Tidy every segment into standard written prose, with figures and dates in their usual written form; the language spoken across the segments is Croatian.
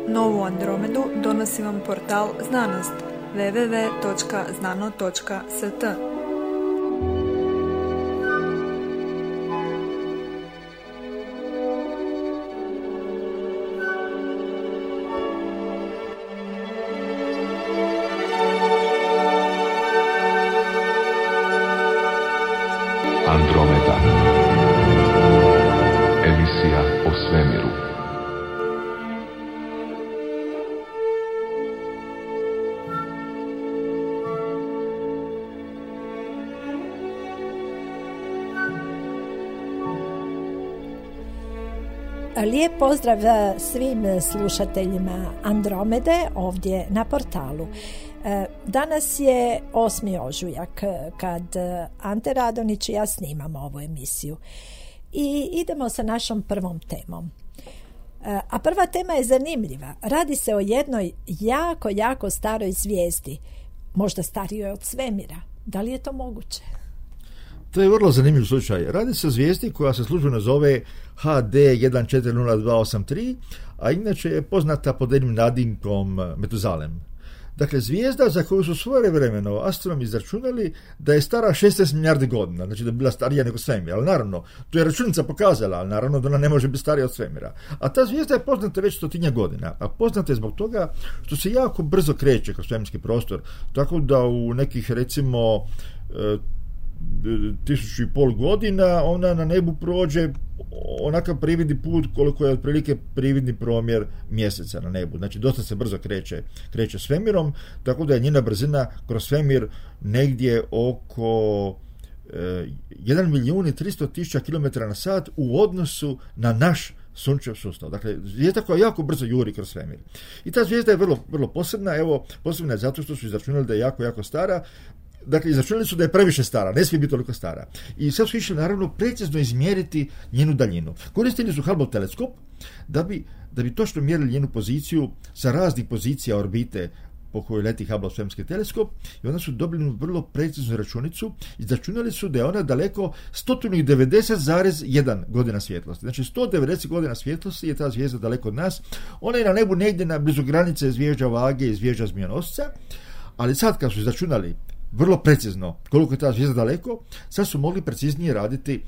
Novu Andromedu donosi vam portal Znanost www.znano.st. Andromeda. Emisija o svemiru. Lijep pozdrav svim slušateljima Andromede ovdje na portalu. Danas je 8. ožujak kad Ante Radonić i ja snimamo ovu emisiju i idemo sa našom prvom temom. A prva tema je zanimljiva. Radi se o jednoj jako staroj zvijezdi, možda starijoj od svemira. Da li je to moguće? To je vrlo zanimljiv slučaj. Radi se o zvijezdi koja se službeno zove HD 140283, a inače je poznata pod jednim nadimkom Metuzalem. Dakle, zvijezda za koju su svojevremeno astronomi izračunali da je stara 16 milijardi godina, znači da je bila starija nego svemir, ali naravno, to je računica pokazala, ali naravno da ona ne može biti starija od svemira. A ta zvijezda je poznata već 100 godina, a poznata je zbog toga što se jako brzo kreće kroz svemirski prostor, tako da u nekih, recimo, 1500 godina ona na nebu prođe onakav prividni put koliko je otprilike prividni promjer mjeseca na nebu. Znači dosta se brzo kreće svemirom, tako da je njena brzina kroz svemir negdje oko 1.300.000 km/h u odnosu na naš Sunčev sustav. Dakle, zvijezda koja jako brzo juri kroz svemir. I ta zvijezda je vrlo posebna. Evo, posebna je zato što su izračunali da je jako stara. Dakle, izračunali su da je previše stara, ne smije biti toliko stara. I sad su išli, naravno, precizno izmjeriti njenu daljinu. Koristili su Hubble teleskop da bi točno mjerili njenu poziciju sa raznih pozicija orbite po kojoj leti Hubble svemirski teleskop, i onda su dobili vrlo preciznu računicu. Izračunali su da je ona daleko 190,1 godina svjetlosti. Znači 190 godina svjetlosti je ta zvijezda daleko od nas. Ona je na nebu negdje na blizu granice zvijezda Vage i zvijezda Zmijenosca, ali sad kad su izračunali vrlo precizno koliko je ta zvijezda daleko, sad su mogli preciznije raditi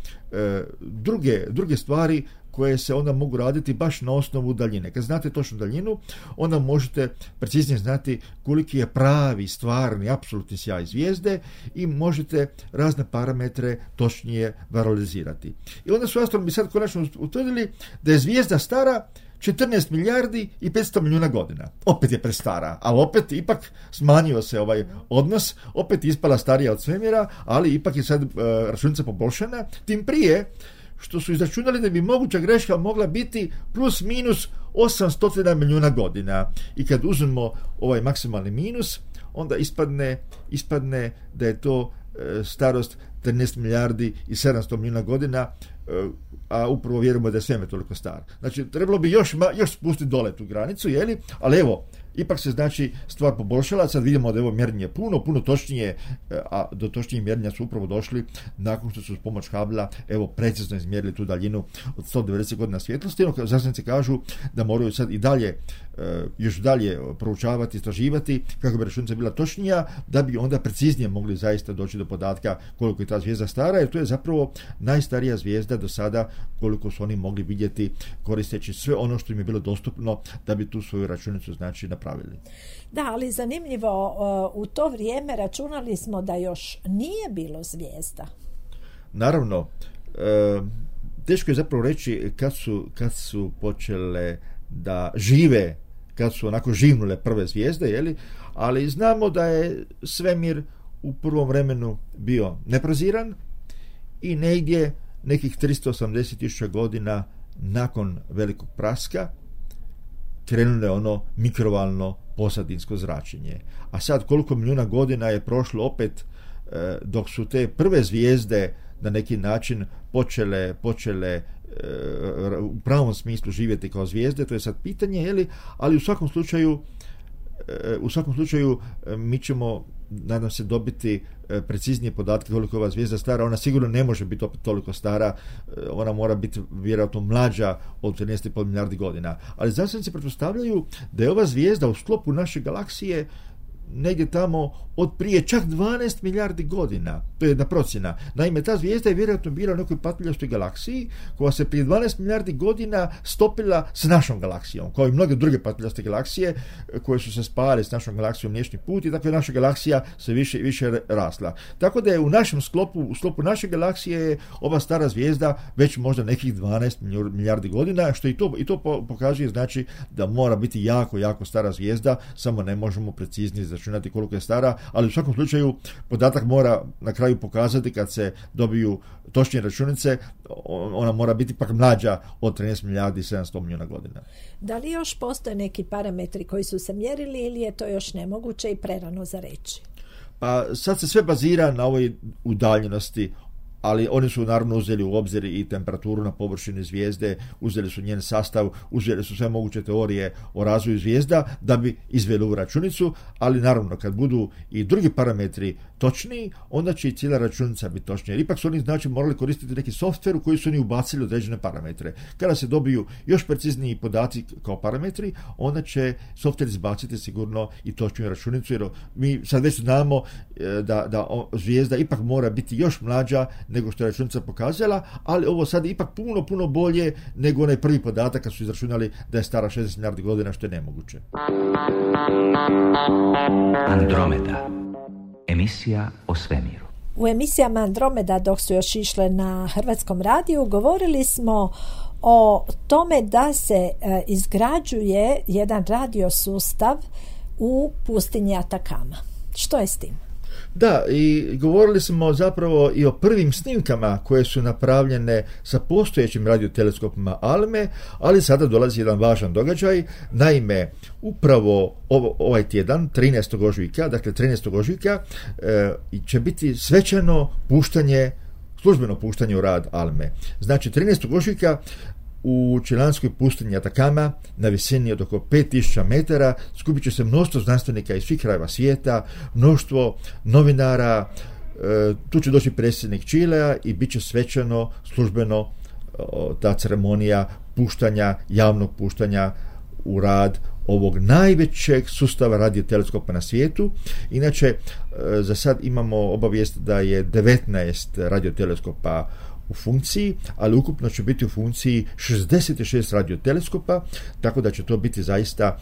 druge stvari koje se onda mogu raditi baš na osnovu daljine. Kad znate točnu daljinu, onda možete preciznije znati koliki je pravi, stvarni, apsolutni sjaj zvijezde i možete razne parametre točnije valorizirati. I onda su astronomi sad konačno utvrdili da je zvijezda stara 14 milijardi i 500 milijuna godina. Opet je prestara, ali opet ipak smanjio se ovaj odnos, opet ispala starija od svemira, ali ipak je sad računica poboljšana, tim prije što su izračunali da bi moguća greška mogla biti plus minus 800 milijuna godina. I kad uzmemo ovaj maksimalni minus, onda ispadne da je to starost 13 milijardi i 700 milijuna godina, a upravo vjerujemo da je svemir toliko star. Znači, trebalo bi još spustiti dole tu granicu, ali evo, ipak se znači stvar poboljšala. Sad vidimo da je ovo mjerenje puno točnije, a do točnijih mjerenja su upravo došli nakon što su s pomoć Hubble evo precizno izmjerili tu daljinu od 190 godina svjetlosti. Znanstvenici kažu da moraju sad i dalje još dalje proučavati, istraživati kako bi računica bila točnija, da bi onda preciznije mogli zaista doći do podatka koliko je ta zvijezda stara, jer to je zapravo najstarija zvijezda do sada koliko su oni mogli vidjeti koristeći sve ono što im je bilo dostupno da bi tu svoju računicu znači napravili. Da, ali zanimljivo, u to vrijeme računali smo da još nije bilo zvijezda. Naravno, teško je zapravo reći kad su počele da žive, kad su onako živnule prve zvijezde, ali znamo da je svemir u prvom vremenu bio neproziran i negdje nekih 380.000 godina nakon velikog praska krenulo je ono mikrovalno posadinsko zračenje. A sad koliko milijuna godina je prošlo opet dok su te prve zvijezde na neki način počele u pravom smislu živjeti kao zvijezde, to je sad pitanje, ali u svakom slučaju u svakom slučaju mi ćemo, nadam se, dobiti preciznije podatke koliko je ova zvijezda stara. Ona sigurno ne može biti opet toliko stara, ona mora biti vjerojatno mlađa od 13,5 milijardi godina. Ali znanstvenici pretpostavljaju da je ova zvijezda u sklopu naše galaksije negdje tamo od prije čak 12 milijardi godina. To je jedna procjena. Naime, ta zvijezda je vjerojatno bila u nekoj patuljaštoj galaksiji koja se prije 12 milijardi godina stopila s našom galaksijom, kao i mnoge druge patuljaste galaksije koje su se spajale s našom galaksijom Mliječni put, i tako je naša galaksija se više rasla. Tako da je u našem sklopu, u sklopu naše galaksije je ova stara zvijezda već možda nekih 12 milijardi godina, što i to pokazuje, znači da mora biti jako, jako stara zvijezda, samo ne možemo preciznije izračunati koliko je stara, ali u svakom slučaju podatak mora na kraju pokazati, kad se dobiju točnije računice, ona mora biti pak mlađa od 13 milijardi i 700 milijuna godina. Da li još postoje neki parametri koji su se mjerili ili je to još nemoguće i prerano za reći? Pa sad se sve bazira na ovoj udaljenosti, ali oni su naravno uzeli u obzir i temperaturu na površini zvijezde, uzeli su njen sastav, uzeli su sve moguće teorije o razvoju zvijezda da bi izveli ovu računicu, ali naravno kad budu i drugi parametri točniji, onda će i cijela računica biti točnija. Jer ipak su oni, znači, morali koristiti neki softver u koji su oni ubacili određene parametre. Kada se dobiju još precizniji podaci kao parametri, onda će softver izbaciti sigurno i točniju računicu, jer mi sad već znamo da zvijezda ipak mora biti još mlađa nego što je računica pokazala, ali ovo sad je ipak puno bolje nego onaj prvi podatak kad su izračunali da je stara 60 milijardi godina, što je nemoguće. Andromeda. Emisija o svemiru. U emisijama Andromeda, dok su još išle na Hrvatskom radiju, govorili smo o tome da se izgrađuje jedan radiosustav u pustinji Atakama. Što je s tim? Da, i govorili smo zapravo i o prvim snimkama koje su napravljene sa postojećim radioteleskopima ALME, ali sada dolazi jedan važan događaj. Naime, upravo ovaj tjedan, 13. ožujka, dakle 13. ožujka, će biti svečano puštanje, službeno puštanje u rad ALME. Znači, 13. ožujka u čilanskoj pustinji Atakama na visini od oko 5000 metara skupit će se mnoštvo znanstvenika iz svih krajeva svijeta, mnoštvo novinara, tu će doći predsjednik Čilea i bit će svečano, službeno ta ceremonija puštanja, javnog puštanja u rad ovog najvećeg sustava radioteleskopa na svijetu. Inače, za sad imamo obavijest da je 19 radioteleskopa u funkciji, ali ukupno će biti u funkciji 66 radioteleskopa, tako da će to biti zaista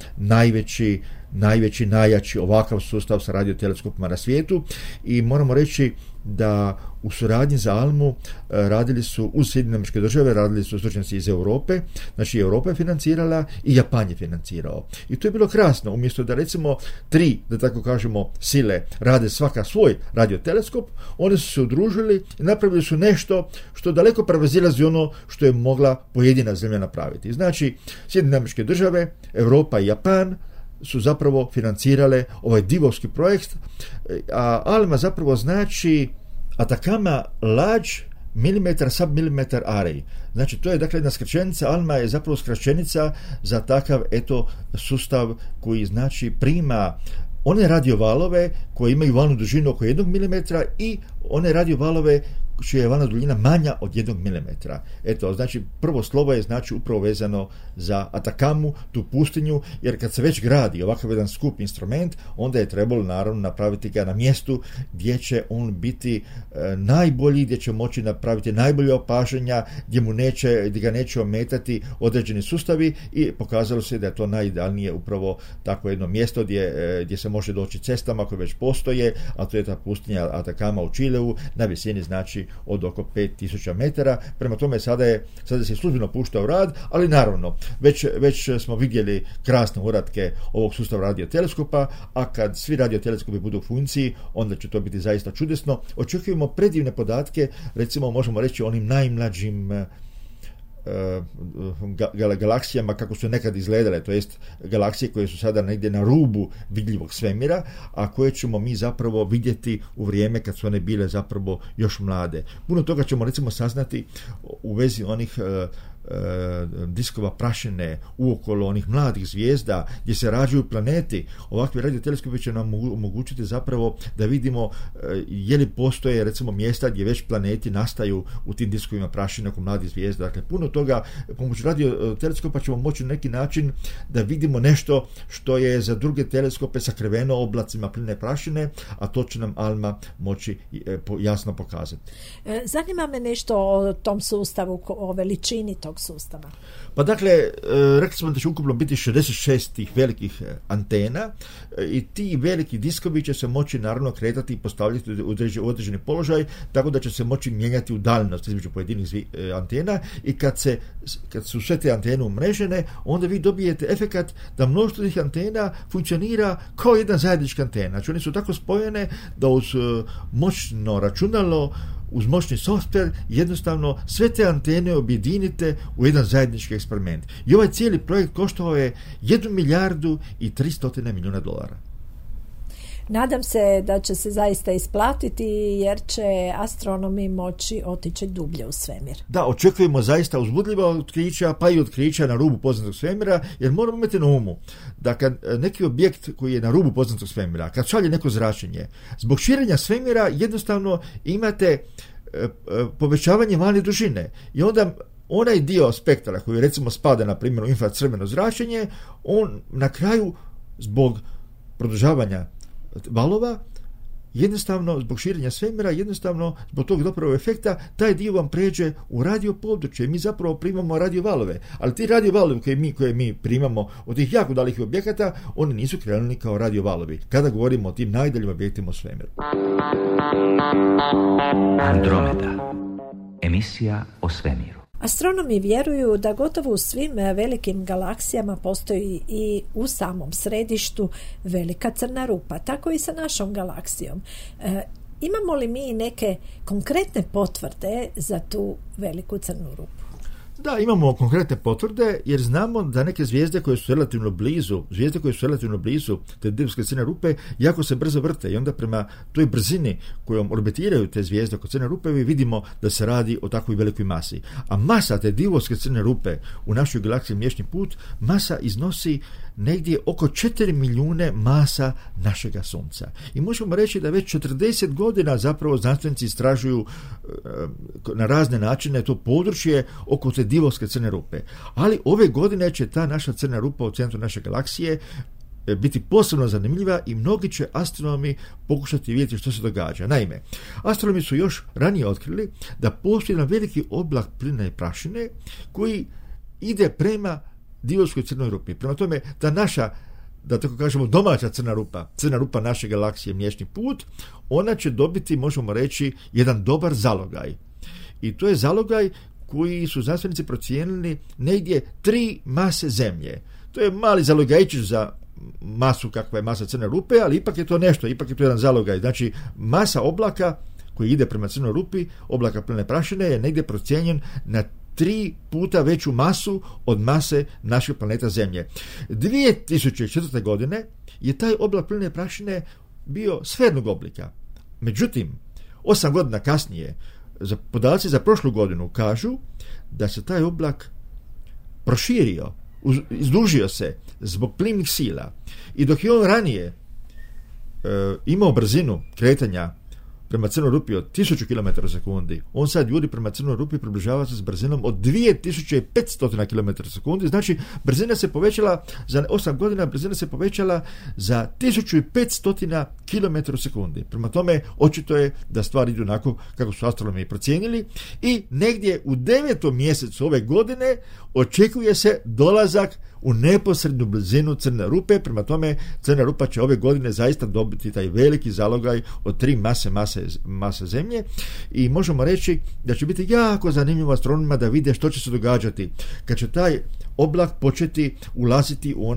najjači ovakav sustav sa radioteleskopima na svijetu. I moramo reći da u suradnji za ALMU radili su uz Sjedinjene Američke Države, radili su stručnjaci iz Europe, znači Europa je financirala i Japan je financirao. I to je bilo krasno, umjesto da recimo 3, da tako kažemo, sile rade svaka svoj radioteleskop, oni su se udružili i napravili su nešto što daleko prevazilazi ono što je mogla pojedina zemlja napraviti. Znači, Sjedinjene Američke Države, Europa i Japan su zapravo financirale ovaj divovski projekt, a ALMA zapravo znači Atacama Large Millimeter Submillimeter Array. Znači, to je dakle jedna skraćenica, ALMA je zapravo skraćenica za takav sustav koji znači prima one radiovalove koje imaju valnu dužinu oko 1 mm i one radiovalove čija je valna duljina manja od 1 mm. Eto, znači prvo slovo je znači upravo vezano za Atakamu, tu pustinju, jer kad se već gradi ovakav jedan skup instrument, onda je trebalo naravno napraviti ga na mjestu gdje će on biti najbolji, gdje će moći napraviti najbolje opažanja, gdje ga neće ometati određeni sustavi, i pokazalo se da je to najidealnije upravo takvo jedno mjesto gdje se može doći cestama koje već postoje, a to je ta pustinja Atakama u Čileu na visini znači od oko 5000 metara. Prema tome sada se službeno pušta u rad, ali naravno već smo vidjeli krasne uratke ovog sustava radioteleskopa, a kad svi radioteleskopi budu u funkciji, onda će to biti zaista čudesno. Očekujemo predivne podatke, recimo možemo reći o onim najmlađim galaksijama kako su nekad izgledale, to jest galaksije koje su sada negdje na rubu vidljivog svemira, a koje ćemo mi zapravo vidjeti u vrijeme kad su one bile zapravo još mlade. Puno toga ćemo recimo saznati u vezi onih diskova prašine uokolo onih mladih zvijezda gdje se rađaju planeti. Ovakvi radioteleskopi će nam omogućiti zapravo da vidimo je li postoje recimo mjesta gdje već planeti nastaju u tim diskovima prašine oko mladih zvijezda. Dakle, puno toga pomoću radioteleskopa ćemo moći na neki način da vidimo nešto što je za druge teleskope sakriveno oblacima pline prašine, a to će nam ALMA moći jasno pokazati. Zanima me nešto o tom sustavu, o veličini tog sustava. Pa dakle, rekli smo da će ukupno biti 66 tih velikih antena i ti veliki diskovi će se moći naravno kretati i postavljati u određeni položaj, tako da će se moći mijenjati udaljenost između pojedinih antena i kad su sve te antene umrežene, onda vi dobijete efekat da mnoštvo tih antena funkcionira kao jedna zajednička antena. Znači one su tako spojene da uz moćno računalo, uz moćni softver jednostavno sve te antene objedinite u jedan zajednički eksperiment. I ovaj cijeli projekt koštao je 1 milijardu i 300 milijuna dolara. Nadam se da će se zaista isplatiti jer će astronomi moći otići dublje u svemir. Da, očekujemo zaista uzbudljiva otkrića, pa i otkrića na rubu poznatog svemira, jer moramo imati na umu da kad neki objekt koji je na rubu poznatog svemira, kad šalje neko zračenje, zbog širenja svemira jednostavno imate povećavanje valne dužine i onda onaj dio spektra koji recimo spada na primjer u infracrveno zračenje, on na kraju zbog produžavanja valova, jednostavno zbog širenja svemira, jednostavno zbog tog dopravo efekta, taj dio vam pređe u radio područje. Mi zapravo primamo radio valove, ali ti radio valovi koje mi primamo od tih jako dalekih objekata, oni nisu krenuli kao radio valovi, kada govorimo o tim najdaljim objektima u svemiru. Andromeda. Emisija o svemiru. Astronomi vjeruju da gotovo u svim velikim galaksijama postoji i u samom središtu velika crna rupa, tako i sa našom galaksijom. Imamo li mi neke konkretne potvrde za tu veliku crnu rupu? Da, imamo konkretne potvrde jer znamo da neke zvijezde koje su relativno blizu te divske crne rupe jako se brzo vrte i onda prema toj brzini kojom orbitiraju te zvijezde oko crne rupe mi vidimo da se radi o takvoj velikoj masi. A masa te divovske crne rupe u našoj galaksiji Mliječni put, masa iznosi negdje oko 4 milijune masa našega Sunca. I možemo reći da već 40 godina zapravo znanstvenici istražuju na razne načine to područje oko te divovske crne rupe. Ali ove godine će ta naša crna rupa u centru naše galaksije biti posebno zanimljiva i mnogi će astronomi pokušati vidjeti što se događa. Naime, astronomi su još ranije otkrili da postoji jedan veliki oblak plina i prašine koji ide prema divovskoj crnoj rupi. Prema tome, ta naša, da tako kažemo, domaća crna rupa naše galaksije Mliječni put, ona će dobiti, možemo reći, jedan dobar zalogaj. I to je zalogaj koji su znanstvenici procijenili negdje 3 mase Zemlje. To je mali zalogajčić za masu kakva je masa crne rupe, ali ipak je to nešto, ipak je to jedan zalogaj. Znači, masa oblaka koji ide prema crnoj rupi, oblaka pline prašine, je negdje procijenjen na 3 puta veću masu od mase našeg planeta Zemlje. 2004. godine je taj oblak pline prašine bio sfernog oblika. Međutim, 8 godina kasnije, podaci za prošlu godinu kažu da se taj oblak proširio, izdužio se zbog plimnih sila. I dok je on ranije imao brzinu kretanja prema crnoj rupi od 1000 km sekundi, on sad juri prema crnoj rupi, približava se s brzinom od 2500 km sekundi. Znači, brzina se povećala za 8 godina, brzina se povećala za 1500 km sekundi. Prema tome, očito je da stvari idu onako kako su astronomi procijenili i negdje u 9. mjesecu ove godine očekuje se dolazak u neposrednu blizinu crne rupe. Prema tome, crna rupa će ove godine zaista dobiti taj veliki zalogaj od 3 mase Zemlje i možemo reći da će biti jako zanimljivo astronomima da vide što će se događati kad će taj oblak početi ulaziti u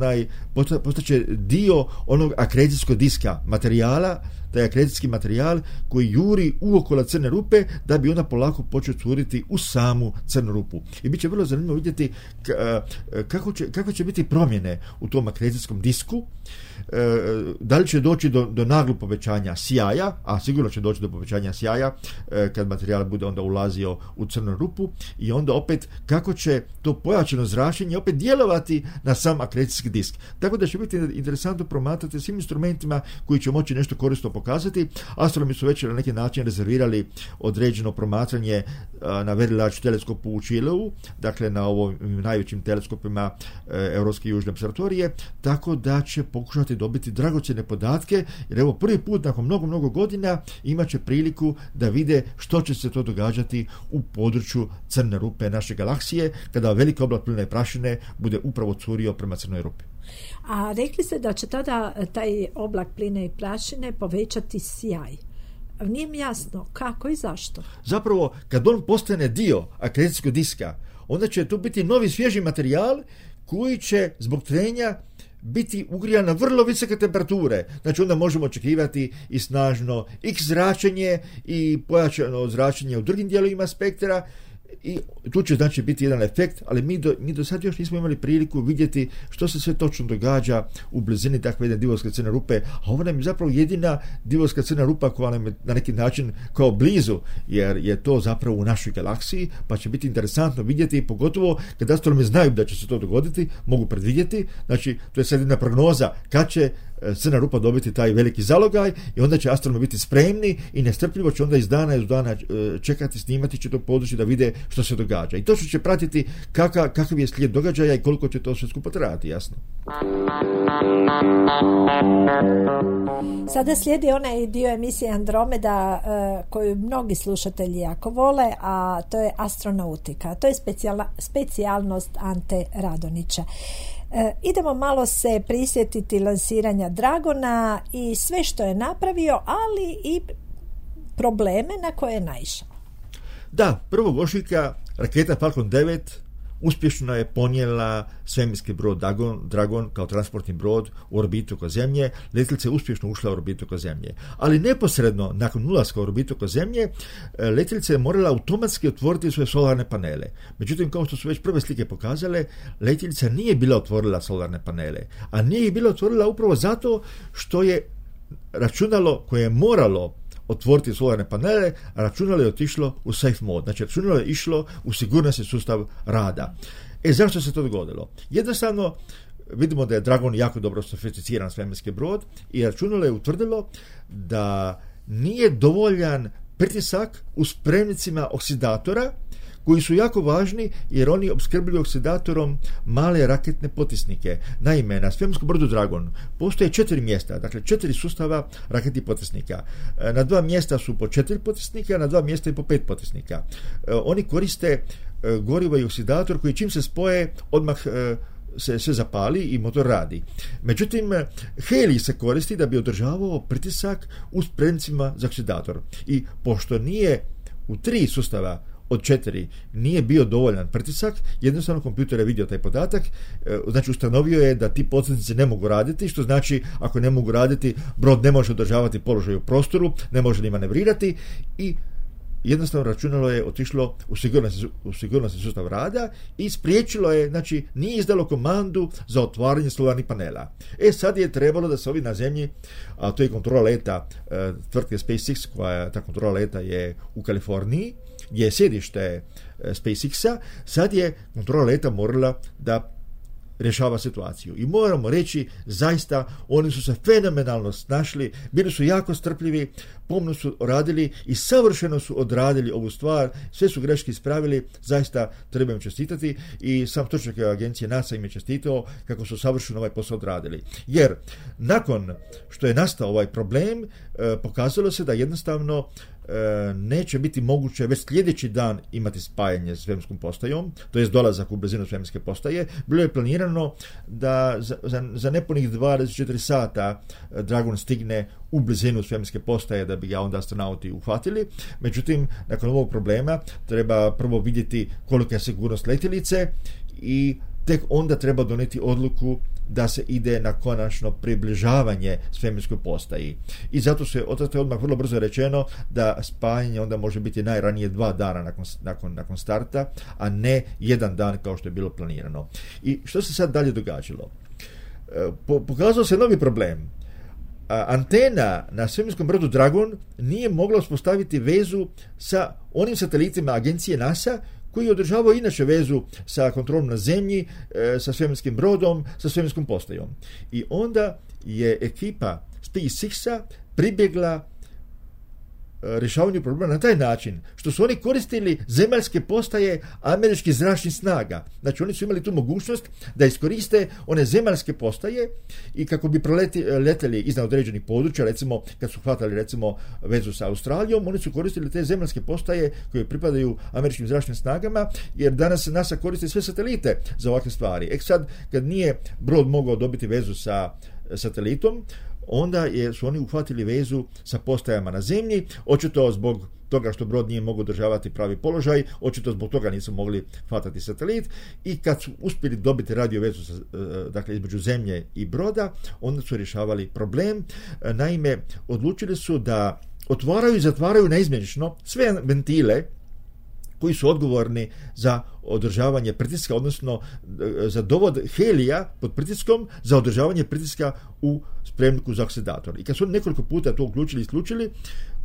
postaće dio onog akrecijskog diska materijala, taj akrecijski materijal koji juri uokolo crne rupe da bi onda polako počeo curiti u samu crnu rupu. I bit će vrlo zanimljivo vidjeti kakve će biti promjene u tom akrecijskom disku, da li će doći do naglog povećanja sjaja, a sigurno će doći do povećanja sjaja kad materijal bude onda ulazio u crnu rupu, i onda opet kako će to pojačano zračenje opet djelovati na sam akrecijski disk. Tako da će biti interesantno promatrati svim instrumentima koji će moći nešto korisno pokazati. Astronomi su već na neki način rezervirali određeno promatranje na Very Large teleskopu u Čileu, dakle na ovim najvećim teleskopima Europske južne observatorije, tako da će pokušati dobiti dragocjene podatke, jer evo prvi put nakon mnogo godina imat će priliku da vide što će se to događati u području crne rupe naše galaksije, kada veliki oblak pline prašine bude upravo curio prema crnoj rupi. A rekli ste da će tada taj oblak pline i prašine povećati sjaj. Nije mi jasno kako i zašto. Zapravo, kad on postane dio akrecijskog diska, onda će to biti novi svježi materijal koji će zbog trenja biti ugrijan na vrlo visoke temperature. Znači onda možemo očekivati i snažno X zračenje i pojačano zračenje u drugim dijelovima spektra, i tu će znači biti jedan efekt, ali mi do sad još nismo imali priliku vidjeti što se sve točno događa u blizini takve jedne divovske crne rupe, a ovo nam je zapravo jedina divovska crna rupa koja nam je na neki način kao blizu, jer je to zapravo u našoj galaksiji, pa će biti interesantno vidjeti, pogotovo kad astronomi znaju da će se to dogoditi, mogu predvidjeti, znači to je sad jedna prognoza kad će crna rupa dobiti taj veliki zalogaj, i onda će astronomi biti spremni i nestrpljivo će onda iz dana čekati, snimati će to područje da vide što se događa. I to će pratiti kakav je slijed događaja i koliko će to sve skupo trajati, jasno. Sada slijedi onaj dio emisije Andromeda koju mnogi slušatelji jako vole, a to je astronautika. To je specijalnost Ante Radonića. Idemo malo se prisjetiti lansiranja Dragona i sve što je napravio, ali i probleme na koje je naišao. Da, 1. ožujka raketa Falcon 9 uspješno je ponijela svemirski brod Dragon kao transportni brod u orbitu oko Zemlje. Letjelica je uspješno ušla u orbitu oko Zemlje. Ali neposredno nakon ulaska u orbitu oko Zemlje, letjelica je morala automatski otvoriti svoje solarne panele. Međutim, kao što su već prve slike pokazale, letjelica nije bila otvorila solarne panele. A nije ih bila otvorila upravo zato što je računalo koje je moralo otvoriti solarne panele, a računalo je otišlo u safe mode. Znači, računalo je išlo u sigurnosni sustav rada. Zašto se to dogodilo? Jednostavno, vidimo da je Dragon jako dobro sofisticiran svemirski brod i računalo je utvrdilo da nije dovoljan pritisak u spremnicima oksidatora, koji su jako važni jer oni opskrbljuju oksidatorom male raketne potisnike. Naime, na svemirskom brodu Dragon postoje 4 mjesta, dakle 4 sustava raketnih potisnika. Na 2 mjesta su po 4 potisnika, a na 2 mjesta i po 5 potisnika. Oni koriste gorivo i oksidator koji čim se spoje odmah se sve zapali i motor radi. Međutim, helij se koristi da bi održavao pritisak u spremnicima za oksidator. I pošto nije u 3 sustava od 4 nije bio dovoljan pritisak, jednostavno kompjuter je vidio taj podatak, znači ustanovio je da ti potisnici ne mogu raditi, što znači ako ne mogu raditi, brod ne može održavati položaj u prostoru, ne može ni manevrirati, i jednostavno računalo je otišlo u sigurnosni sustav rada i spriječilo je, znači nije izdalo komandu za otvaranje solarnih panela. Sad je trebalo da se ovi na Zemlji, a to je kontrola leta tvrtke SpaceX, koja ta kontrola leta je u Kaliforniji, gdje je sjedište SpaceX-a, sad je kontrola leta morala da rješava situaciju. I moramo reći, zaista, oni su se fenomenalno snašli, bili su jako strpljivi, pomno su radili i savršeno su odradili ovu stvar, sve su greške ispravili, zaista treba im čestitati, i sam stručnjak agencije NASA im je čestitao kako su savršeno ovaj posao odradili. Jer nakon što je nastao ovaj problem, pokazalo se da jednostavno neće biti moguće već sljedeći dan imati spajanje s svemirskom postajom, to jest dolazak u blizinu svemirske postaje. Bilo je planirano da za nepunih 24 sata Dragon stigne u blizinu svemirske postaje da bi ga onda astronauti uhvatili. Međutim, nakon ovog problema treba prvo vidjeti kolika je sigurnost letjelice i tek onda treba donijeti odluku da se ide na konačno približavanje svemirskoj postaji. I zato je odmah vrlo brzo rečeno da spajanje onda može biti najranije 2 dana nakon starta, a ne 1 dan kao što je bilo planirano. I što se sad dalje događalo? Pokazao se novi problem. Antena na svemirskom brodu Dragon nije mogla uspostaviti vezu sa onim satelitima agencije NASA koji održavao inače vezu sa kontrolom na zemlji, sa svemirskim brodom, sa svemirskom postajom. I onda je ekipa SpaceX-a pribjegla rješavanju problema na taj način što su oni koristili zemaljske postaje američkih zračnih snaga. Znači oni su imali tu mogućnost da iskoriste one zemaljske postaje i kako bi leteli iznad određenih područja, recimo kad su hvatali recimo vezu sa Australijom, oni su koristili te zemaljske postaje koje pripadaju američkim zračnim snagama, jer danas NASA koristi sve satelite za ovakve stvari. Sad kad nije brod mogao dobiti vezu sa satelitom, onda su oni uhvatili vezu sa postajama na zemlji, očito zbog toga što brod nije mogao održavati pravi položaj, očito zbog toga nisu mogli hvatati satelit, i kad su uspjeli dobiti radio vezu dakle između zemlje i broda, onda su rješavali problem. Naime, odlučili su da otvaraju i zatvaraju neizmjenično sve ventile koji su odgovorni za održavanje pritiska, odnosno za dovod helija pod pritiskom za održavanje pritiska u spremniku za oksidator. I kad su oni nekoliko puta to uključili i isključili,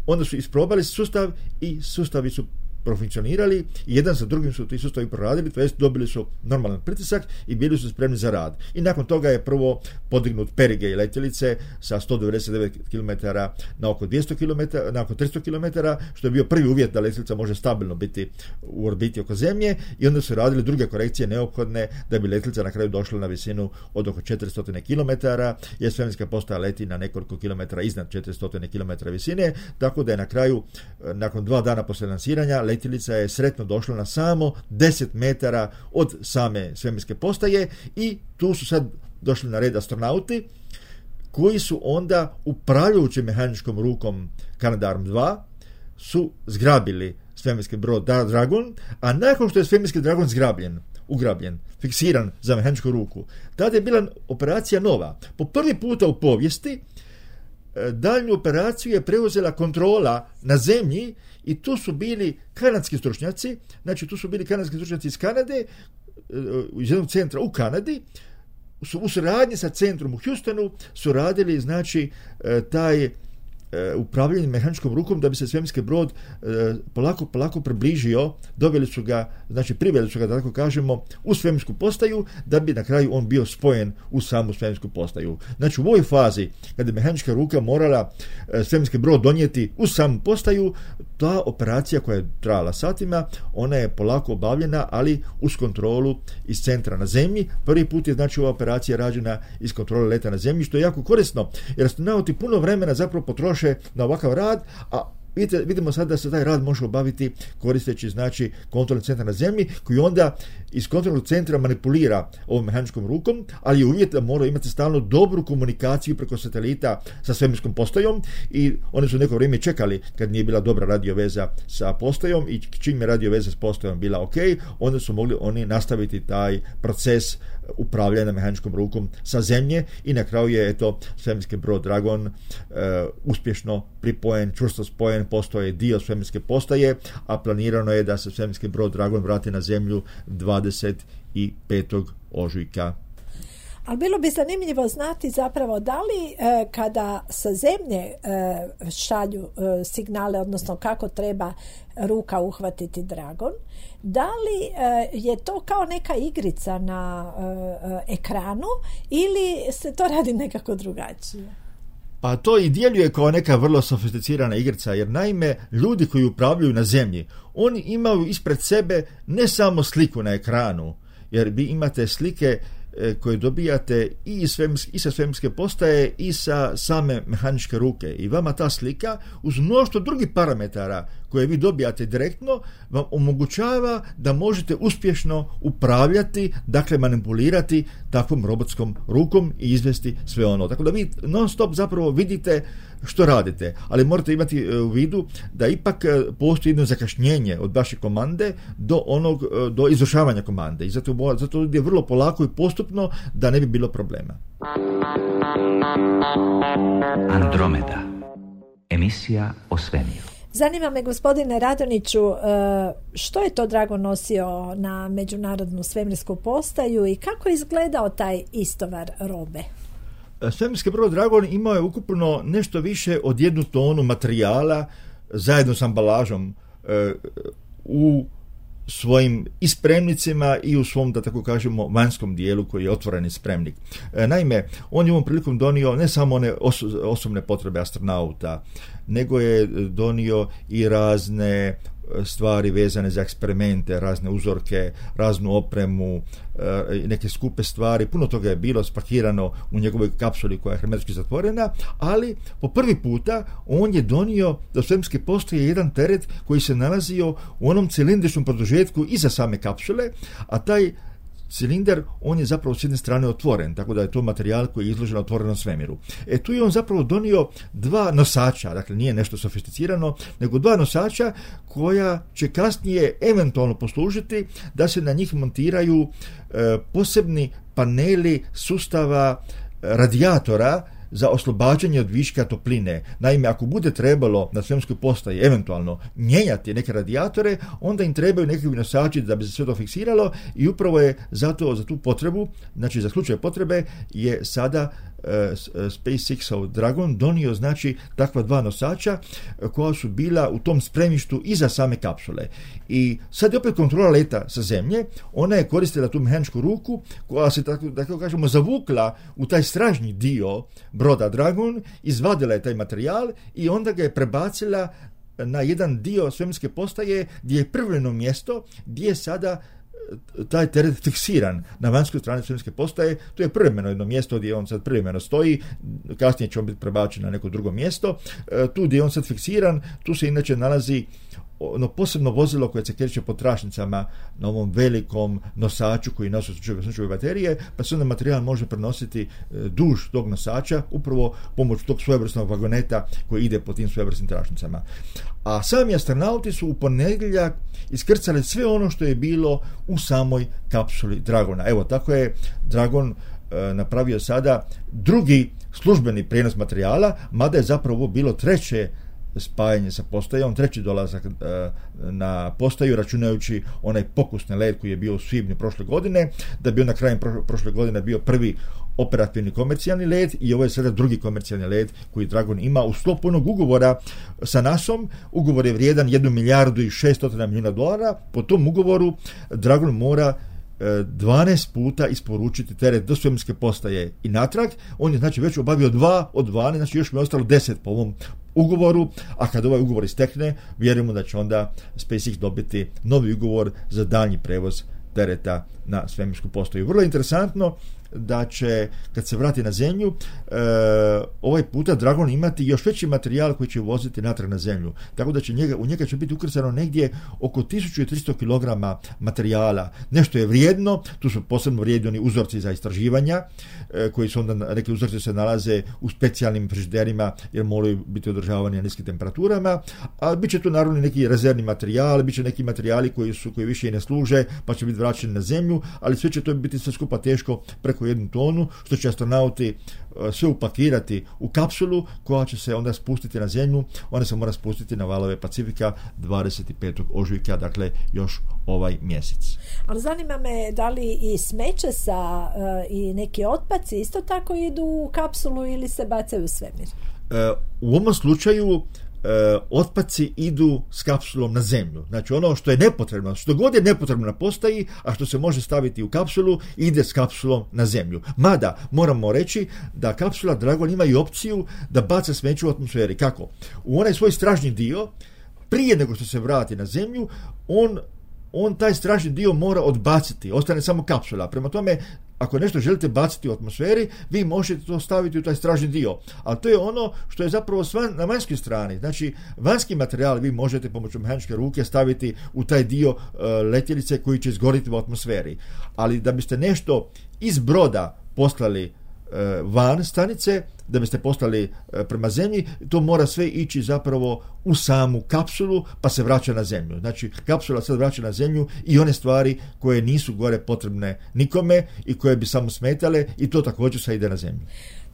onda su isprobali sustav i sustavi su profunkcionirali i jedan za drugim su ti sustavi proradili, to jest dobili su normalan pritisak i bili su spremni za rad. I nakon toga je prvo podignut perigej letjelice sa 199 km na oko 200 km, na oko 300 km, što je bio prvi uvjet da letjelica može stabilno biti u orbiti oko Zemlje, i onda su radili druge korekcije neophodne da bi letjelica na kraju došla na visinu od oko 400 km, jer svemirska postaja leti na nekoliko kilometara iznad 400 km visine, tako da je na kraju, nakon 2 dana poslije lansiranja, letjelica je sretno došla na samo 10 metara od same svemirske postaje, i tu su sad došli na red astronauti koji su onda upravljajući mehaničkom rukom Canadarm2 su zgrabili svemirski brod Dragon, a nakon što je svemirski Dragon ugrabljen, fiksiran za mehaničku ruku, tada je bila operacija nova. Po prvi puta u povijesti daljnju operaciju je preuzela kontrola na zemlji, i tu su bili kanadski stručnjaci, iz Kanade, iz jednog centra u Kanadi, su u suradnji sa centrom u Houstonu su radili, znači, taj upravljanje mehaničkom rukom da bi se svemirski brod polako približio, doveli su ga, znači priveli su ga, da tako kažemo, u svemirsku postaju, da bi na kraju on bio spojen u samu svemirsku postaju. Znači u ovoj fazi, kada je mehanička ruka morala svemirski brod donijeti u samu postaju, ta operacija koja je trajala satima, ona je polako obavljena, ali uz kontrolu iz centra na zemlji. Prvi put je, znači, ova operacija rađena iz kontrole leta na zemlji, što je jako korisno, jer astronauti puno vremena zapravo potroše na ovakav rad, a vidimo sad da se taj rad može obaviti koristeći, znači, kontrolni centar na zemlji, koji onda iz kontrolnog centra manipulira ovom mehaničkom rukom, ali je uvjet da mora imati stalno dobru komunikaciju preko satelita sa svemirskom postajom, i oni su neko vrijeme čekali kad nije bila dobra radioveza sa postajom, i čim je radioveza s postajom bila ok, onda su mogli oni nastaviti taj proces upravljanja mehaničkom rukom sa zemlje, i na kraju je svemirski brod Dragon uspješno pripojen, čvrsto spojen, postao je dio svemirske postaje, a planirano je da se svemirski brod Dragon vrati na zemlju 25. ožujka. Ali bilo bi zanimljivo znati zapravo da li kada sa zemlje šalju signale, odnosno kako treba ruka uhvatiti Dragon, da li je to kao neka igrica na ekranu ili se to radi nekako drugačije? Pa to i djeluje kao neka vrlo sofisticirana igrica, jer naime ljudi koji upravljaju na zemlji, oni imaju ispred sebe ne samo sliku na ekranu, jer vi imate slike koje dobijate i sa svemirske postaje i sa same mehaničke ruke, i vama ta slika uz mnoštvo drugih parametara koje vi dobijate direktno vam omogućava da možete uspješno upravljati, dakle manipulirati takvom robotskom rukom i izvesti sve ono. Tako da vi non stop zapravo vidite što radite, ali morate imati u vidu da ipak postoji jedno zakašnjenje od vaše komande do izvršavanja komande i zato ide vrlo polako i postupno da ne bi bilo problema. Andromeda. Emisija o svemiru. Zanima me, gospodine Radonjiću, što je to Dragon nosio na Međunarodnu svemirsku postaju i kako je izgledao taj istovar robe? Svemirski brod Dragon imao je ukupno nešto više od 1 tonu materijala zajedno s ambalažom u svojim i spremnicima i u svom, da tako kažemo, vanjskom dijelu koji je otvoreni spremnik. Naime, on je ovom prilikom donio ne samo one osobne potrebe astronauta, nego je donio i razne stvari vezane za eksperimente, razne uzorke, raznu opremu, neke skupe stvari. Puno toga je bilo spakirano u njegovoj kapsuli koja je hermetski zatvorena, ali po prvi puta on je donio do svemirske postaje jedan teret koji se nalazio u onom cilindričnom produžetku iza same kapsule, a taj cilindar, on je zapravo s jedne strane otvoren, tako da je to materijal koji je izložen na otvorenom svemiru. Tu je on zapravo donio 2 nosača, dakle nije nešto sofisticirano, nego 2 nosača koja će kasnije eventualno poslužiti da se na njih montiraju posebni paneli sustava radijatora za oslobađanje od viška topline. Naime, ako bude trebalo na svemirskoj postaji eventualno mijenjati neke radijatore, onda im trebaju nekakvi nosači da bi se sve to fiksiralo i upravo je za tu potrebu, znači za slučaj potrebe, je sada SpaceX-ov Dragon donio znači takva 2 nosača koja su bila u tom spremištu iza same kapsule. I sad je opet kontrola leta sa zemlje, ona je koristila tu mehaničku ruku koja se tako kažemo zavukla u taj stražnji dio broda Dragon, izvadila je taj materijal i onda ga je prebacila na jedan dio svemirske postaje gdje je privremeno mjesto gdje je sada taj teret fiksiran na vanjskoj strani svemirske postaje. To je privremeno jedno mjesto gdje on sad privremeno stoji, kasnije će on biti prebačen na neko drugo mjesto. Tu gdje je on sad fiksiran, tu se inače nalazi ono posebno vozilo koje se kreće po tračnicama na ovom velikom nosaču koji nosi sunčeve baterije, pa se onda materijal može prenositi duž tog nosača upravo pomoću tog svojevrsnog vagoneta koji ide po tim svojevrsnim tračnicama. A sami astronauti su u ponedjeljak iskrcali sve ono što je bilo u samoj kapsuli Dragona. Evo, tako je Dragon napravio sada drugi službeni prijenos materijala, mada je zapravo bilo 3. spajanje sa postajom, 3. dolazak na postaju, računajući onaj pokusni let koji je bio u svibnju prošle godine, da bi on na kraju prošle godine bio prvi operativni komercijalni let i ovo je sada drugi komercijalni let koji Dragon ima u sklopu onog ugovora sa NASA-om. Ugovor je vrijedan $1 milijardu i 600 milijuna dolara. Po tom ugovoru Dragon mora 12 puta isporučiti teret do svemirske postaje i natrag. On je znači već obavio 2 od 12, znači još mi je ostalo 10 po ovom ugovoru, a kad ovaj ugovor istekne, vjerujemo da će onda SpaceX dobiti novi ugovor za daljnji prevoz tereta na svemirsku postaju. Vrlo interesantno da će, kad se vrati na zemlju, ovaj puta Dragon imati još veći materijal koji će voziti natrag na zemlju. Tako da će u njega će biti ukrcano negdje oko 1300 kg materijala. Nešto je vrijedno, tu su posebno vrijedni oni uzorci za istraživanja, koji su onda, neki uzorci se nalaze u specijalnim frižiderima jer moraju biti održavani na niskim temperaturama, a bit će tu naravno neki rezervni materijal, bit će neki materijali koji više i ne služe, pa će biti vraćeni na zemlju, ali sve će to biti sve skupa teško preko 1 tonu, što će astronauti sve upakirati u kapsulu koja će se onda spustiti na zemlju. Ona se mora spustiti na valove Pacifika 25. ožujka, dakle još ovaj mjesec. Ali zanima me da li i smeće i neki otpaci isto tako idu u kapsulu ili se bacaju u svemir? U ovom slučaju otpaci idu s kapsulom na zemlju. Znači ono što je nepotrebno, što god je nepotrebno na postaji, a što se može staviti u kapsulu, ide s kapsulom na zemlju. Mada, moramo reći da kapsula Dragon ima i opciju da baca smeće u atmosferi. Kako? U onaj svoj stražnji dio, prije nego što se vrati na zemlju, on taj stražni dio mora odbaciti, ostane samo kapsula. Prema tome, ako nešto želite baciti u atmosferi, vi možete to staviti u taj stražni dio. A to je ono što je zapravo na vanjskoj strani. Znači, vanjski materijal vi možete pomoću mehaničke ruke staviti u taj dio letjelice koji će izgoriti u atmosferi. Ali da biste nešto iz broda poslali van stanice, da biste poslali prema zemlji, to mora sve ići zapravo u samu kapsulu, pa se vraća na zemlju. Znači, kapsula sad vraća na zemlju i one stvari koje nisu gore potrebne nikome i koje bi samo smetale, i to također sad ide na zemlju.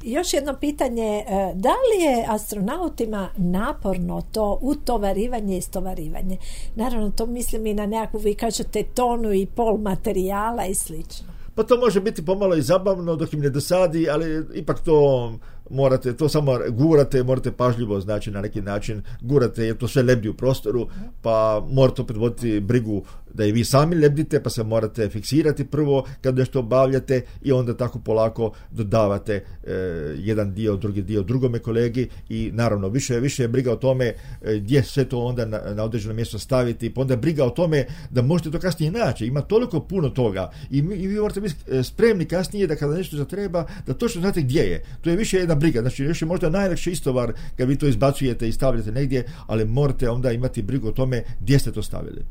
Još jedno pitanje, da li je astronautima naporno to utovarivanje i istovarivanje? Naravno, to mislim i na nekakvu, vi kažete, tonu i pol materijala i slično. Pa to može biti pomalo i zabavno dok im ne dosadi, ali ipak to morate, to samo gurate, morate pažljivo, znači na neki način gurate, jer to sve lebdi u prostoru, pa morate opet voditi brigu da i vi sami lebdite, pa se morate fiksirati prvo kad nešto obavljate i onda tako polako dodavate jedan dio, drugi dio drugome kolegi, i naravno više je briga o tome gdje sve to onda na određeno mjesto staviti, pa onda briga o tome da možete to kasnije naći. Ima toliko puno toga i vi morate biti spremni kasnije da kada nešto zatreba, da točno znate gdje je. To je više jedna briga. Znači, još je možda najlakše istovar kad vi to izbacujete i stavljate negdje, ali morate onda imati brigu o tome gdje ste to stavili.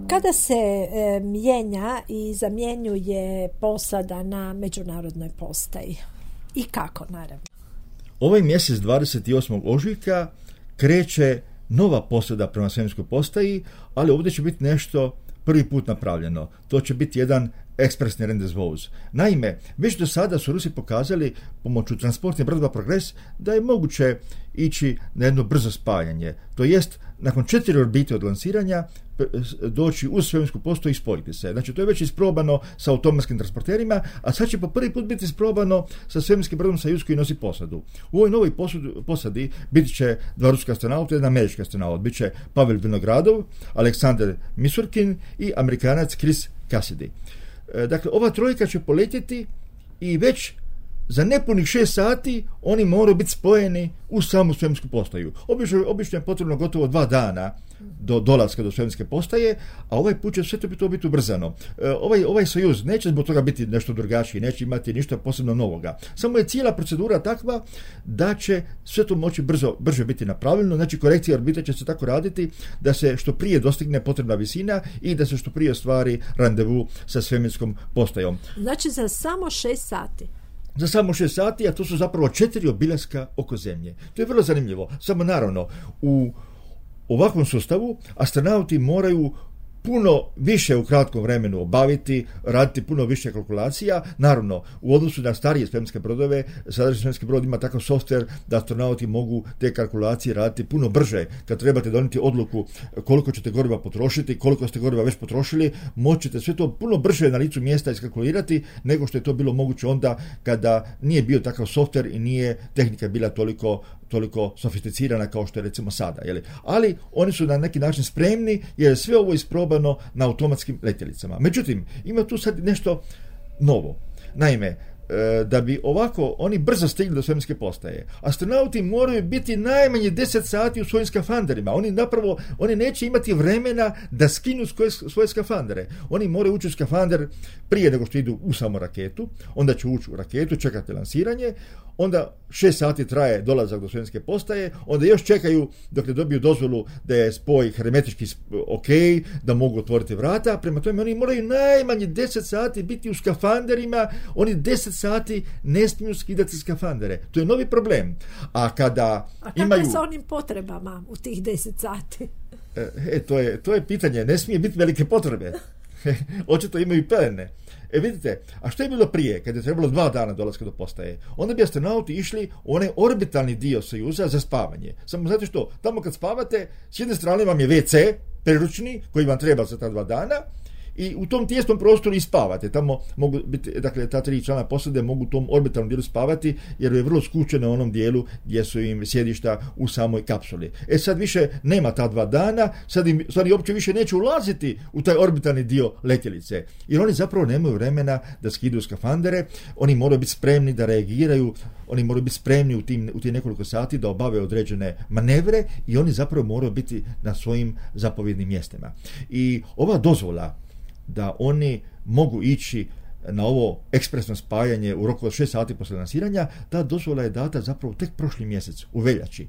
Kada se mijenja i zamjenjuje posada na međunarodnoj postaji? I kako, naravno? Ovaj mjesec 28. ožujka kreće nova posada prema svemirskoj postaji, ali ovdje će biti nešto prvi put napravljeno. To će biti jedan ekspresni rendezvous. Naime, već do sada su Rusi pokazali pomoću transportne brodova Progres da je moguće ići na jedno brzo spajanje. To jest, nakon 4 orbite od lansiranja doći uz svemirsku postaju i spojiti se. Znači, to je već isprobano sa automatskim transporterima, a sad će po prvi put biti isprobano sa svemirskim brodom Sojuz koji nosi posadu. U ovoj novoj posadi biti će 2 ruska astronauta i 1 američki astronaut. Biće Pavel Vinogradov, Aleksandar Misurkin i Amerikanac Chris Cassidy. Dakle, ova trojka će poletjeti i već za nepunih 6 sati oni moraju biti spojeni u samu svemirsku postaju. Obično je potrebno gotovo 2 dana do dolaska do svemirske postaje, a ovaj put će sve to biti ubrzano. Ovaj Sojuz neće zbog toga biti nešto drugačiji, neće imati ništa posebno novoga. Samo je cijela procedura takva da će sve to moći brže biti napravljeno. Znači, korekcija orbite će se tako raditi da se što prije dostigne potrebna visina i da se što prije ostvari randevu sa svemirskom postajom. Znači, za samo 6 sati? Za samo 6 sati, a to su zapravo 4 obilaska oko Zemlje. To je vrlo zanimljivo. Samo naravno, u ovakvom sustavu astronauti moraju puno više u kratkom vremenu obaviti, raditi puno više kalkulacija. Naravno, u odnosu na starije svemirske brodove, sadašnji svemirski brod ima takav softver da astronauti mogu te kalkulacije raditi puno brže. Kad trebate donijeti odluku koliko ćete goriva potrošiti, koliko ste goriva već potrošili, moćete sve to puno brže na licu mjesta iskalkulirati nego što je to bilo moguće onda kada nije bio takav softver i nije tehnika bila toliko sofisticirana kao što je recimo sada. Ali oni su na neki način spremni jer je sve ovo isprobano na automatskim letjelicama. Međutim, ima tu sad nešto novo. Naime, da bi ovako oni brzo stigli do svemirske postaje, astronauti moraju biti najmanje 10 sati u svojim skafanderima. Oni neće imati vremena da skinu svoje skafandere. Oni moraju ući u skafander prije nego što idu u samu raketu, onda će ući u raketu, čekati lansiranje, onda 6 sati traje dolazak do svemirske postaje, onda još čekaju dok ne dobiju dozvolu da je spoj hermetički ok, da mogu otvoriti vrata. Prema tome oni moraju najmanje 10 sati biti u skafanderima, oni 10 sati ne smiju skidati skafandere. To je novi problem. A kako je sa onim potrebama u tih 10 sati? To je pitanje. Ne smije biti velike potrebe. Očito imaju pelene. Vidite, a što je bilo prije, kad je trebalo 2 dana dolaska do postaje? Onda bi astronauti išli u onaj orbitalni dio Sojuza za spavanje. Samo znate što, tamo kad spavate, s jedne strane vam je WC, priručni, koji vam treba za ta 2 dana, i u tom tijesnom prostoru i spavate. Tamo mogu biti, dakle, ta 3 člana posade mogu u tom orbitalnom dijelu spavati, jer je vrlo skučeno u onom dijelu gdje su im sjedišta u samoj kapsuli. Sad više nema ta 2 dana, sad oni uopće više neće ulaziti u taj orbitalni dio letjelice, jer oni zapravo nemaju vremena da skidaju skafandere, oni moraju biti spremni da reagiraju, oni moraju biti spremni u tih nekoliko sati da obave određene manevre i oni zapravo moraju biti na svojim zapovjednim mjestima. I ova dozvola da oni mogu ići na ovo ekspresno spajanje u roku od 6 sati poslije lansiranja. Ta dozvola je data zapravo tek prošli mjesec, u veljači.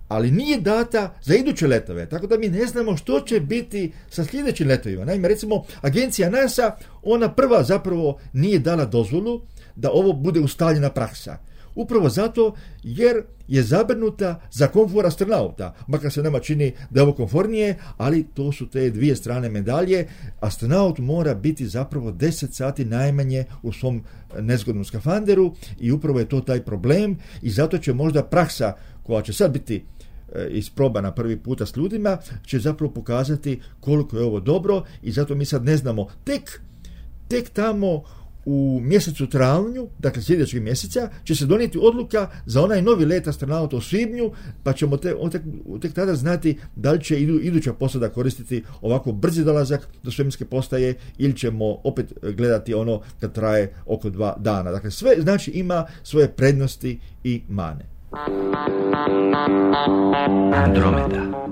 Ali nije data za iduće letove, tako da mi ne znamo što će biti sa sljedećim letovima. Naime, recimo, agencija NASA, ona prva zapravo nije dala dozvolu da ovo bude ustaljena praksa. Upravo zato jer je zabrinuta za komfor astronauta, makar se nama čini da je ovo komfornije, ali to su te dvije strane medalje. Astronaut mora biti zapravo 10 sati najmanje u svom nezgodnom skafanderu i upravo je to taj problem i zato će možda praksa koja će sad biti isprobana prvi puta s ljudima, će zapravo pokazati koliko je ovo dobro i zato mi sad ne znamo. Tek tamo u mjesecu travnju, dakle sljedećeg mjeseca, će se donijeti odluka za onaj novi let astronauta u svibnju, pa ćemo tek tada znati da li će iduća posada koristiti ovako brzi dolazak do svemirske postaje ili ćemo opet gledati ono kad traje oko 2 dana. Dakle, sve znači ima svoje prednosti i mane. Andromeda.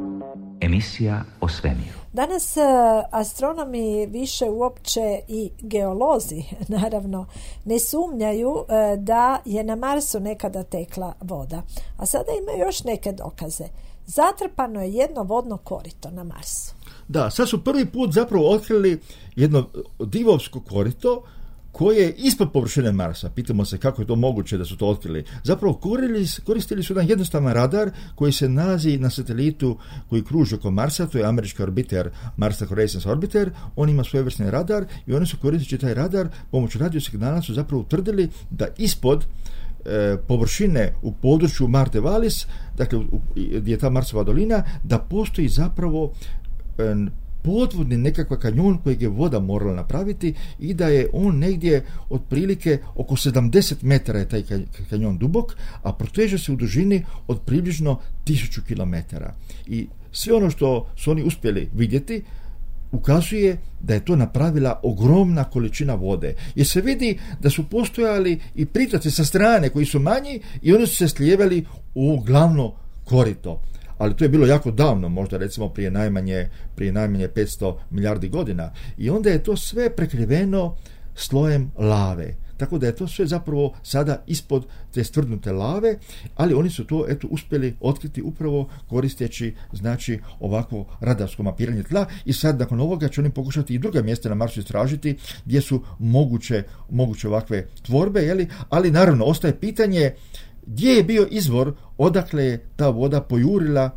Emisija o svemiru. Danas astronomi više uopće i geolozi, naravno, ne sumnjaju da je na Marsu nekada tekla voda. A sada imaju još neke dokaze. Zatrpano je jedno vodno korito na Marsu. Da, sad su prvi put zapravo otkrili jedno divovsko korito koje je ispod površine Marsa. Pitamo se kako je to moguće da su to otkrili. Zapravo koristili su jedan jednostavan radar koji se nalazi na satelitu koji kruži oko Marsa, to je američki orbiter Mars Reconnaissance Orbiter. On ima svojevrsni radar i oni su koristeći taj radar pomoću radiosignala su zapravo utvrdili da ispod površine u području Marte Vallis, dakle gdje je ta Marsova dolina, da postoji zapravo podvodni nekakav kanjon kojeg je voda morala napraviti i da je on negdje otprilike oko 70 metara je taj kanjon dubok, a proteže se u dužini od približno 1000 km. I sve ono što su oni uspjeli vidjeti ukazuje da je to napravila ogromna količina vode. Jer se vidi da su postojali i pritoci sa strane koji su manji i oni su se slijevali u glavno korito. Ali to je bilo jako davno, možda recimo prije najmanje 500 milijardi godina. I onda je to sve prekriveno slojem lave. Tako da je to sve zapravo sada ispod te stvrdnute lave, ali oni su to uspjeli otkriti upravo koristeći znači ovako radarsko mapiranje tla i sad nakon ovoga će oni pokušati i druga mjesta na Marsu istražiti gdje su moguće ovakve tvorbe, ali naravno ostaje pitanje gdje je bio izvor, odakle je ta voda pojurila,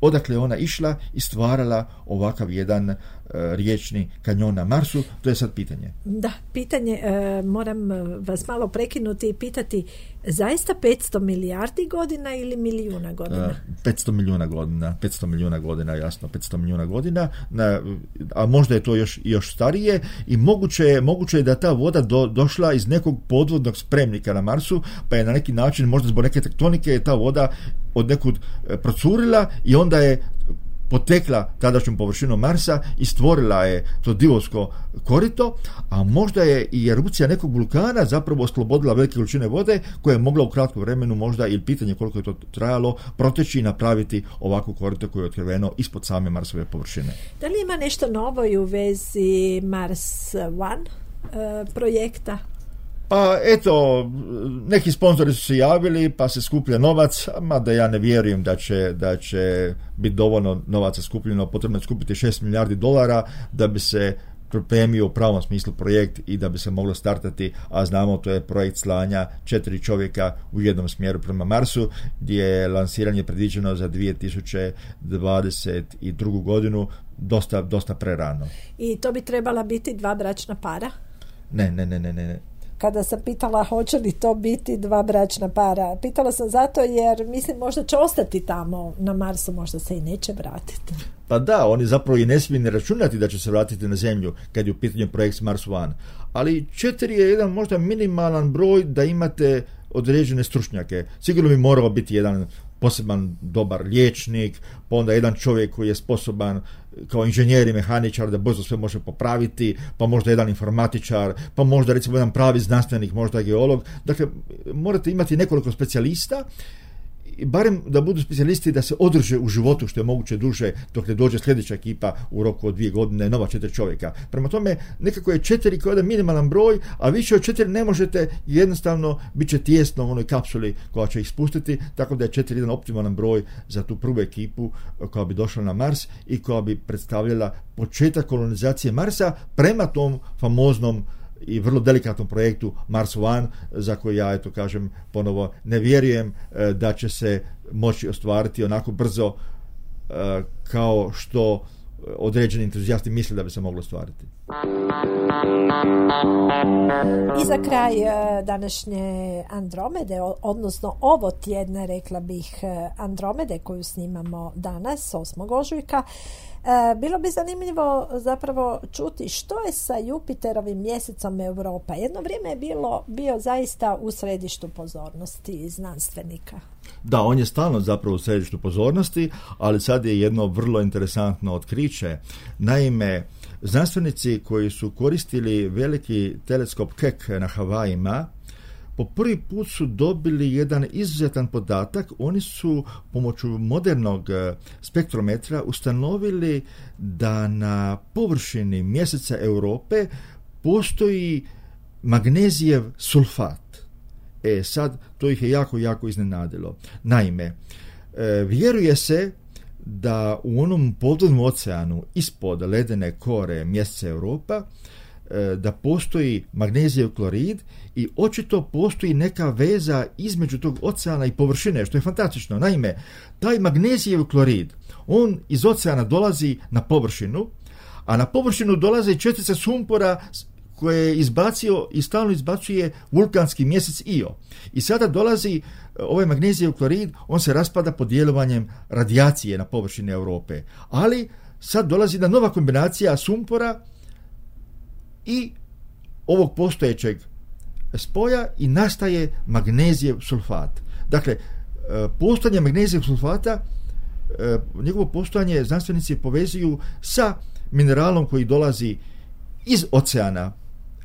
odakle je ona išla i stvarala ovakav jedan riječni kanjon na Marsu, to je sad pitanje. Da, pitanje, moram vas malo prekinuti i pitati, zaista 500 milijardi godina ili milijuna godina? 500 milijuna godina, jasno, 500 milijuna godina, a možda je to još starije i moguće je da ta voda došla iz nekog podvodnog spremnika na Marsu, pa je na neki način, možda zbog neke tektonike, je ta voda od nekud procurila i onda je potekla tadašnjom površinom Marsa i stvorila je to divovsko korito, a možda je i erupcija nekog vulkana zapravo oslobodila velike količine vode koja je mogla u kratkom vremenu možda, ili pitanje koliko je to trajalo, proteći i napraviti ovako korito koje je otkriveno ispod same Marsove površine. Da li ima nešto novo i u vezi Mars One projekta? Pa eto, neki sponzori su se javili pa se skuplja novac, mada ja ne vjerujem da će biti dovoljno novaca skupljeno, potrebno je skupiti $6 milijardi da bi se pripremio u pravom smislu projekt i da bi se moglo startati, a znamo to je projekt slanja 4 čovjeka u jednom smjeru prema Marsu, gdje je lansiranje predviđeno za 2022. godinu, dosta prerano. I to bi trebala biti 2 bračna para? Ne. Kada sam pitala hoće li to biti 2 bračna para, pitala sam zato jer mislim možda će ostati tamo na Marsu, možda se i neće vratiti. Pa da, oni zapravo i ne smiju ni računati da će se vratiti na Zemlju kad je u pitanju projekt Mars One. Ali 4 je jedan možda minimalan broj da imate određene stručnjake. Sigurno bi morao biti jedan poseban dobar liječnik, pa onda jedan čovjek koji je sposoban kao inženjer i mehaničar da brzo sve može popraviti, pa možda jedan informatičar, pa možda recimo jedan pravi znanstvenik, možda geolog. Dakle, morate imati nekoliko specijalista barem da budu specijalisti da se održe u životu što je moguće duže dok ne dođe sljedeća ekipa u roku od 2 godine, nova 4 čovjeka. Prema tome, nekako je 4 kao da minimalan broj, a više od 4 ne možete, jednostavno bit će tijesno u onoj kapsuli koja će ih spustiti, tako da je 4 jedan optimalan broj za tu prvu ekipu koja bi došla na Mars i koja bi predstavljala početak kolonizacije Marsa prema tom famoznom i vrlo delikatnom projektu Mars One, za koji ja, eto kažem ponovo, ne vjerujem da će se moći ostvariti onako brzo kao što određeni entuzijasti misle da bi se moglo ostvariti. I za kraj današnje Andromede, odnosno ovo tjedne, rekla bih, Andromede koju snimamo danas, 8. ožujka, bilo bi zanimljivo zapravo čuti što je sa Jupiterovim mjesecom Europa. Jedno vrijeme je bio zaista u središtu pozornosti znanstvenika. Da, on je stalno zapravo u središtu pozornosti, ali sad je jedno vrlo interesantno otkriće. Naime, znanstvenici koji su koristili veliki teleskop Keck na Havajima, po prvi put su dobili jedan izuzetan podatak. Oni su pomoću modernog spektrometra ustanovili da na površini mjeseca Europe postoji magnezijev sulfat. Sad to ih je jako iznenadilo. Naime, vjeruje se da u onom podvodnom oceanu ispod ledene kore mjeseca Europa da postoji magnezijev klorid i očito postoji neka veza između tog oceana i površine, što je fantastično. Naime, taj magnezijev klorid, on iz oceana dolazi na površinu, a na površinu dolaze čestice sumpora koje je izbacio i stalno izbacuje vulkanski mjesec Io. I sada dolazi ovaj magnezijev klorid, on se raspada pod djelovanjem radijacije na površini Europe. Ali sad dolazi jedna nova kombinacija sumpora i ovog postojećeg spoja i nastaje magnezijev sulfat. Dakle, postojanje magnezijevog sulfata, njegovo postojanje znanstvenici povezuju sa mineralom koji dolazi iz oceana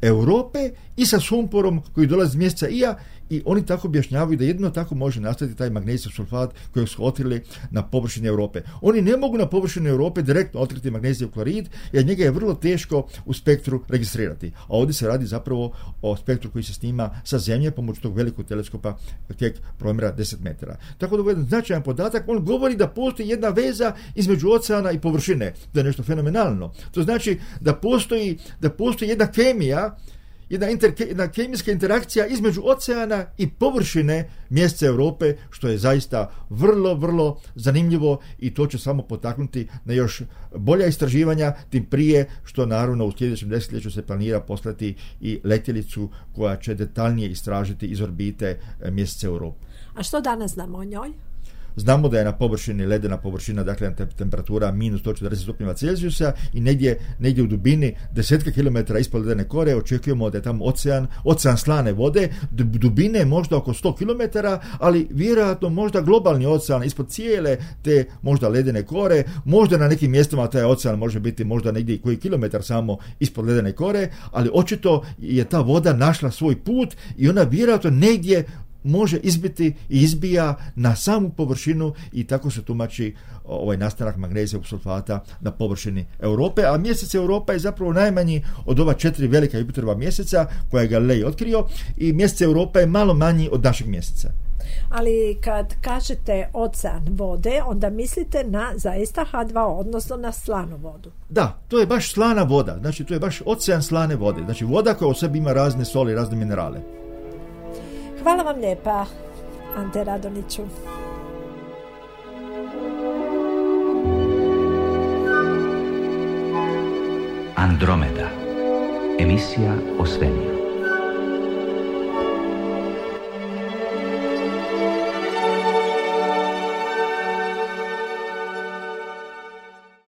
Europe i sa sumporom koji dolazi iz mjeseca Ija, i oni tako objašnjavaju da jedino tako može nastati taj magnezijev sulfat kojeg su otkrili na površini Europe. Oni ne mogu na površini Europe direktno otkriti magnezijev klorid, jer njega je vrlo teško u spektru registrirati. A ovdje se radi zapravo o spektru koji se snima sa Zemlje pomoću tog velikog teleskopa Keck promjera 10 metara. Tako da je jedan značajan podatak. On govori da postoji jedna veza između oceana i površine. To je nešto fenomenalno. To znači da postoji jedna kemija, jedna kemijska interakcija između oceana i površine mjeseca Europe, što je zaista vrlo zanimljivo, i to će samo potaknuti na još bolja istraživanja, tim prije što naravno u sljedećem desetljeću se planira poslati i letjelicu koja će detaljnije istražiti iz orbite mjeseca Europe. A što danas znamo o njoj? Znamo da je na površini, ledena površina, dakle temperatura minus 140 stupnjeva Celzijusa, i negdje u dubini 10 kilometara ispod ledene kore očekujemo da je tamo ocean slane vode, dubine možda oko 100 kilometara, ali vjerojatno možda globalni ocean ispod cijele te možda ledene kore, možda na nekim mjestima taj ocean može biti možda negdje koji kilometar samo ispod ledene kore, ali očito je ta voda našla svoj put i ona vjerojatno negdje može izbiti i izbija na samu površinu, i tako se tumači ovaj nastanak magnezijevog sulfata na površini Europe, a mjesec Europa je zapravo najmanji od ova 4 velika Jupiterova mjeseca koja je Galilej otkrio, i mjesec Europa je malo manji od našeg mjeseca. Ali kad kažete ocean vode, onda mislite na zaista H2O, odnosno na slanu vodu. Da, to je baš slana voda, znači to je baš ocean slane vode, znači voda koja u sebi ima razne soli, razne minerale. Hvala vam lijepa, Ante Radoniću. Andromeda. Emisija o svemiru.